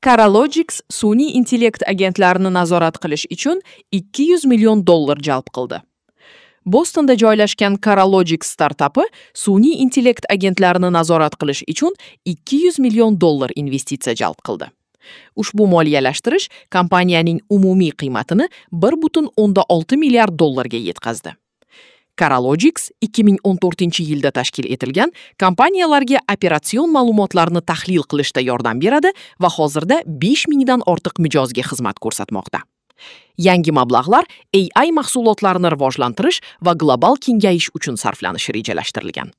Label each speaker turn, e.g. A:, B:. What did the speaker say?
A: Coralogix sun'iy intellekt agentlarini nazorat qilish uchun 200 million dollar jalb qildi. Bostonda joylashgan Coralogix startapi sun'iy intellekt agentlarini nazorat qilish uchun 200 million dollar investitsiya jalb qildi. Ushbu moliyalashtirish kompaniyaning umumiy qiymatini 1,6 milliard dollarga yetkazdi. Coralogix 2014-yilda tashkil etilgan kompaniyalarga operatsion ma'lumotlarni tahlil qilishda yordam beradi va hozirda 5000 dan ortiq mijozga xizmat ko'rsatmoqda. Yangi mablag'lar AI mahsulotlarini rivojlantirish va global kengayish uchun sarflanishi rejalashtirilgan.